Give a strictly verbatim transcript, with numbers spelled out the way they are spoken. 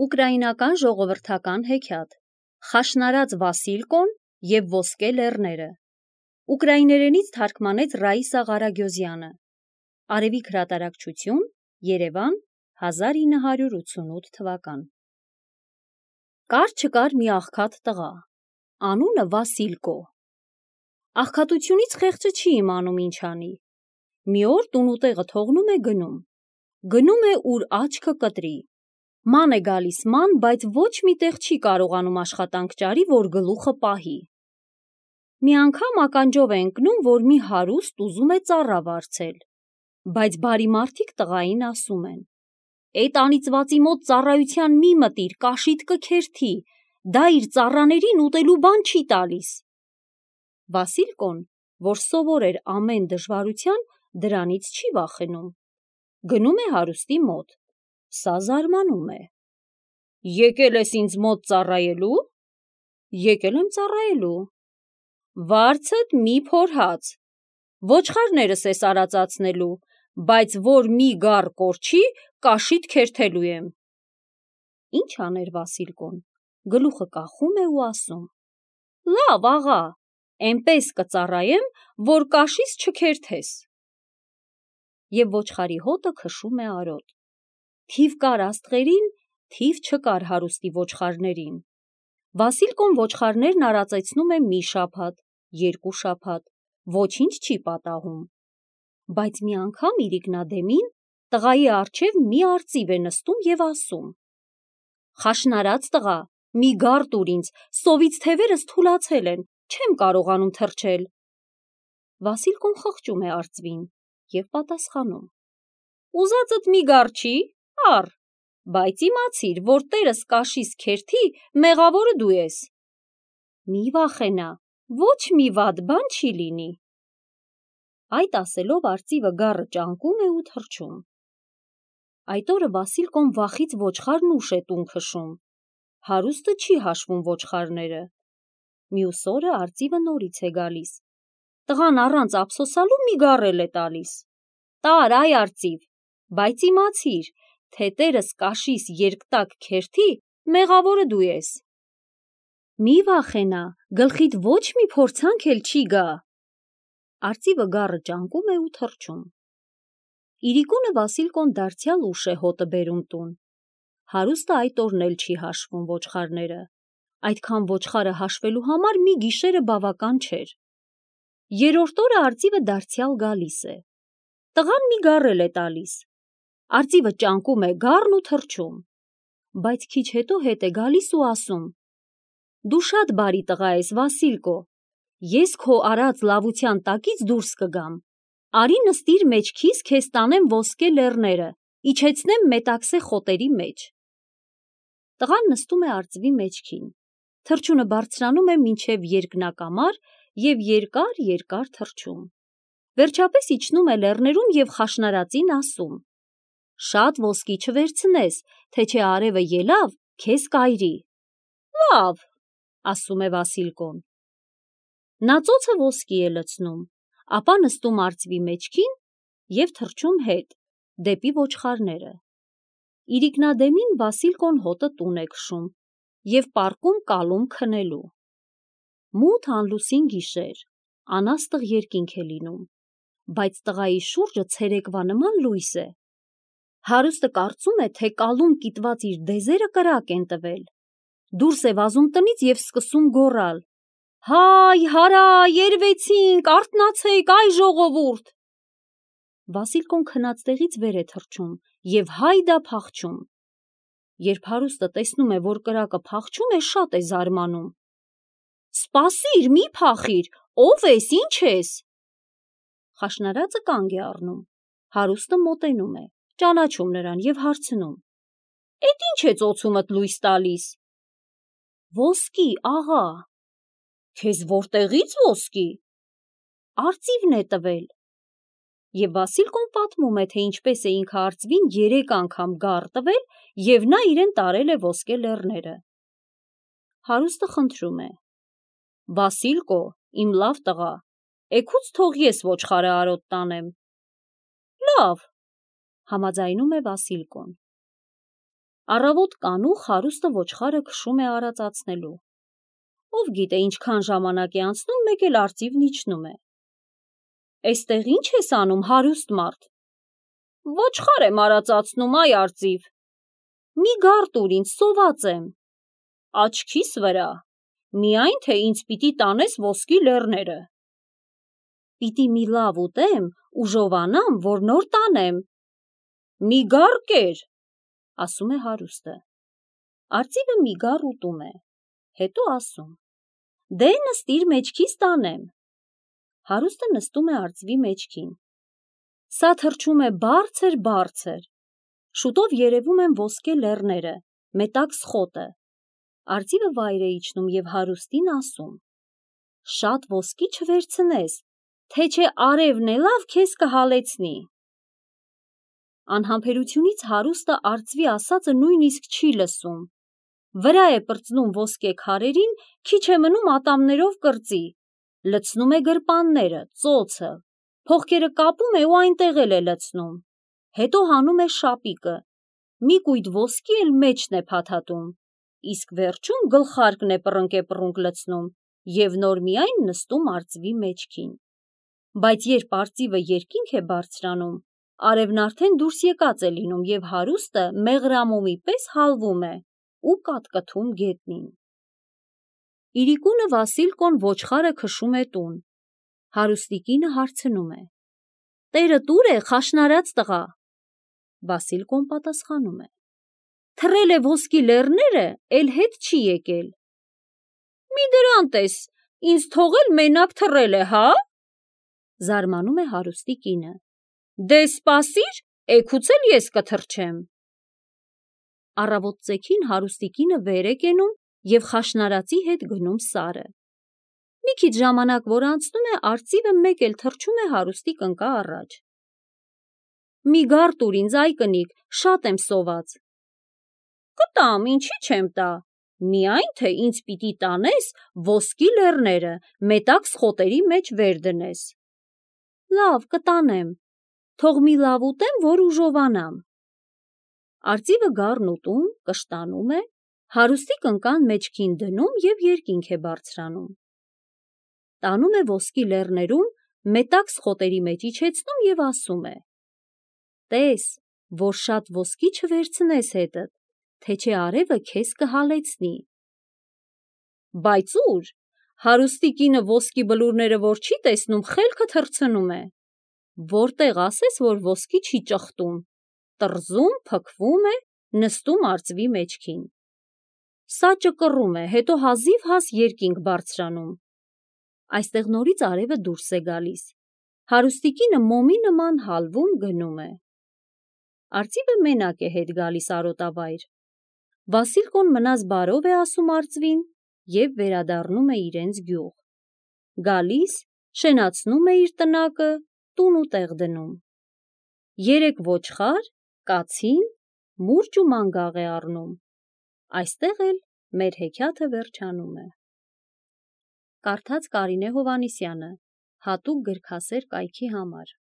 Ուկրաինական ժողովրդական հեքիաթ Խաշնարած Վասիլկոն և ոսկե լեռները Ուկրաիներենից թարգմանեց Ռաիսա Ղարագյոզյանը Արևիկ հրատարակչություն Երևան հազար ինը հարյուր ութսունութ թվական Կար չկար մի աղքատ տղա Անունը Վասիլկո Աղքատությունից խեղճը չի իմանում ինչ անի Մի օր տունուտեղը թողնում է գնում Գնում է ուր աչքը կտրի Ման է գալիս ման, բայց ոչ մի տեղ չի կարողանում աշխատանք ճարի, որ գլուխը պահի Մի անգամ ականջով է ընկնում, որ մի հարուստ ուզում է ծառա վարձել Բայց բարի մարդիկ տղային ասում են Էդ անիծվածի մոտ ծառայության մի մտիր, կաշիդ կքերթի Դա իր ծառաներին ուտելու բան չի տալիս Վասիլկոն, որ սովոր էր ամեն դժվարության, դրանից չի վախենում Գնում է հարուստի մոտ Սա զարմանում է Եկել ես ինձ մոտ ծառայելու Եկել եմ ծառայելու Վարձդ մի փոր հաց Ոչխարներս ես արածացնելու Բայց որ մի գառ կորչի Կաշիդ քերթելու եմ Ինչ աներ Վասիլկոն Գլուխը կախում է ու ասում Լավ աղա Էնպես կծառայեմ Որ կաշիս չքերթես Եվ ոչխարի հոտը քշում է արոտ Թիվ կար աստղերին Թիվ չկար հարուստի ոչխարներին Վասիլկոն ոչխարներն արածեցնում է մի շաբաթ Երկու շաբաթ Ոչինչ չի պատահում Բայց մի անգամ իրիկնադեմին Տղայի առջև մի արծիվ է նստում և ասում Խաշնարած տղա Մի գառ տուր ինձ Սովից թևերս թուլացել են Չեմ կարողանում թռչել Վասիլկոն խղճում է արծվին Եվ պատասխանում Ուզածդ մի գառ չի Առ Բայց իմացիր, որ տերս կաշիս քերթի Մեղավորը դու ես Մի վախենա Ոչ մի վատ բան չի լինի Այդ ասելով արծիվը գառը ճանկում է ու թռչում Այդ օրը Վասիլկոն վախից ոչխարն ուշ է տուն քշում Հարուստը չի հաշվում ոչխարները Մյուս օրը արծիվը նորից է գալիս Տղան առանց ափսոսալու մի գառ էլ է տալիս Տար այ արծիվ Բայց իմացիր Թե տերս կաշիս երկտակ քերթի Մեղավորը դու ես Մի վախենա Գլխիդ ոչ մի փորձանք էլ չի գա Արծիվը գառը ճանկում է ու թռչում Իրիկունը Վասիլկոն դարձյալ ուշ է հոտը բերում տուն Հարուստը այդ օրն էլ չի հաշվում ոչխարները Այդքան ոչխարը հաշվելու համար մի գիշերը բավական չէր Երրորդ օրը արծիվը դարձյալ գալիս է Տղան մի գառ էլ է տալիս Արծիվը ճանկում է գառն ու թռչում Բայց քիչ հետո հետ է գալիս ու ասում Դու շատ բարի տղա ես Վասիլկո Ես քո արած լավության տակից դուրս կգամ Արի նստիր մեջքիս քեզ տանեմ ոսկե լեռները Իջեցնեմ մետաքսե խոտերի մեջ Տղան նստում է արծվի մեջքին Թռչունը բարձրանում է մինչև երկնակամար և երկար երկար թռչում Վերջապես իջնում է լեռներում և խաշնարածին ասում Շատ ոսկի չվերցնես, թե չէ արևը ելավ, քեզ կայրի Լավ, ասում է Վասիլկոն Նա ծոցը ոսկի է լցնում, ապա նստում արծվի մեջքին և թռչում հետ, դեպի ոչխարները Իրիկնադեմին Վասիլկոն հոտը տուն է քշում և պառկում կալում քնելու Մութ անլուսին գիշեր, անաստղ երկինք է լինում, բայց տղայի շուրջը ցերեկվա նման լույս է Հարուստը կարծում է, թե կալում կիտված իր դեզերը կրակ են տվել Դուրս է վազում տնից և սկսում գոռալ Հայ, հարա, երվեցինք, արթնացեք, այ ժողովուրդ Վասիլկոն քնած տեղից վեր է թռչում և հայդա փախչում Երբ հարուստը տեսնում է, որ կրակը փախչում է, շատ է զարմանում Սպասիր, մի փախիր, ով ես, ինչ ես Խաշնարածը կանգ է առնում Հարուստը մոտենում է Ճանաչում նրան և հարցնում Էդ ինչ է ծոցումդ լույս տալիս Ոսկի, աղա Քեզ որտեղից ոսկի Արծիվն է տվել Եվ Վասիլկոն պատմում է, թե ինչպես է ինքը արծվին երեք անգամ գառ տվել և նա իրեն տարել է ոսկե լեռները Հարուստը խնդրում է Վասիլկո, իմ լավ տղա Էգուց թող ես ոչխարը արոտ տանեմ Լավ Համաձայնում է Վասիլկոն Առավոտ կանուխ հարուստը ոչխարը քշում է արածացնելու։ Ով գիտե ինչքան ժամանակ է անցնում, մեկ էլ արծիվն իջնում է։ Էստեղ ինչ ես անում, հարուստ մարդ։ Ոչխար եմ արածացնում, այ արծիվ։ Մի գար տուր ինձ, սոված եմ։ Աչքիս վրա, միայն թե ինձ պիտի տանես ոսկի լեռները։ Պիտի մի լավ ուտեմ, ուժովանամ, որ նոր տանեմ։ Մի գար կեր, ասում է հարուստը։ Արծիվը մի գար ուտում է, հետո ասում. Դե նստիր մեջքիս տանեմ։ Հարուստը նստում է արծվի մեջքին։ Սա թռչում է բարձր, բարձր։ Շուտով երևում են ոսկե լեռները, մետաքս խոտը։ Արծիվը վայր է իջնում և հարուստին ասում. Շատ ոսկի չվերցնես, թե չէ արևն է լավ քեզ կհալեցնի։ Անհամբերությունից հարուստը արծվի ասածը նույնիսկ չի լսում։ Վրա է պրծնում ոսկե քարերին, քիչ է մնում ատամներով կրծի, լցնում է գրպանները, ծոցը, փողկերը կապում է ու այնտեղ էլ է լցնում, հետո հանում է շապիկը, մի կույտ ոսկի էլ մեջն է փաթաթում, իսկ վերջում գլխարկն է պռնկեպռունկ լցնում և նոր միայն նստում արծվի մեջքին։ Բայց երբ արծիվը երկինք է բարձրանում, արևն արդեն դուրս եկած է լինում և հարուստը մեղրամոմի պես հալվում է ու կատկթում գետնին։ Իրիկունը Վասիլկոն ոչխարը քշում է տուն։ Հարուստի կինը հարցնում է. Տերդ ուր է, խաշնարած տղա։ Վասիլկոն պատասխանում է. Թռել է ոսկի լեռները, էլ հետ չի եկել։ Մի դրանց ես, ինձ թողել մենակ թռել է, հա։ Զարմանում է հարուստի կինը։ Դե սպասիր, էգուց էլ ես կթռչեմ։ Առավոտ ծեքին հարուստի կինը վեր է կենում և խաշնարածի հետ գնում սարը։ Մի քիչ ժամանակ որ անցնում է, արծիվը մեկ էլ թռչում է հարուստի կնկա առաջ։ Մի գար տուր ինձ, այ կնիկ, շատ եմ սոված։ Կտամ, ինչի չեմ տա, միայն թե ինձ պիտի տանես ոսկի լեռները, մետաքս խոտերի մեջ վեր դնես։ Լավ, կտանեմ, թող մի լավ ուտեմ, որ ուժովանամ։ Արծիվը գառն ուտում, կշտանում է, հարուստի կնկան մեջքին դնում և երկինք է բարձրանում։ Տանում է ոսկի լեռներում, մետաքս խոտերի մեջ իջեցնում և ասում է. Տես, որ շատ ոսկի չվերցնես հետդ, թե չէ արևը քեզ կհալեցնի։ Բայց ուր, հարուստի կինը ոսկի բլուրները որ չի տեսնում, խելքը թռցնում է։ Որտեղ ասես, որ ոսկի չի ճխտում, տրզում, փքվում է, նստում արծվի մեջքին։ Սա ճկռում է, հետո հազիվ-հազ երկինք բարձրանում։ Այստեղ նորից արևը դուրս է գալիս։ Հարուստի կինը մոմի նման հալվում գնում է։ Արծիվը մենակ է հետ գալիս արոտավայր։ Վասիլկոն մնաս բարով է ասում արծվին և վերադառնում է իրենց գյուղ։ Գալիս, շենացնում է իր տնակը, տուն ու տեղ դնում։ Երեք ոչխար, կացին, մուրճ ու մանգաղ է առնում։ Այստեղ էլ մեր հեքիաթը վերջանում է։ Կարդաց Կարինե Հովհաննիսյանը, հատուկ գրքասեր կայքի համար։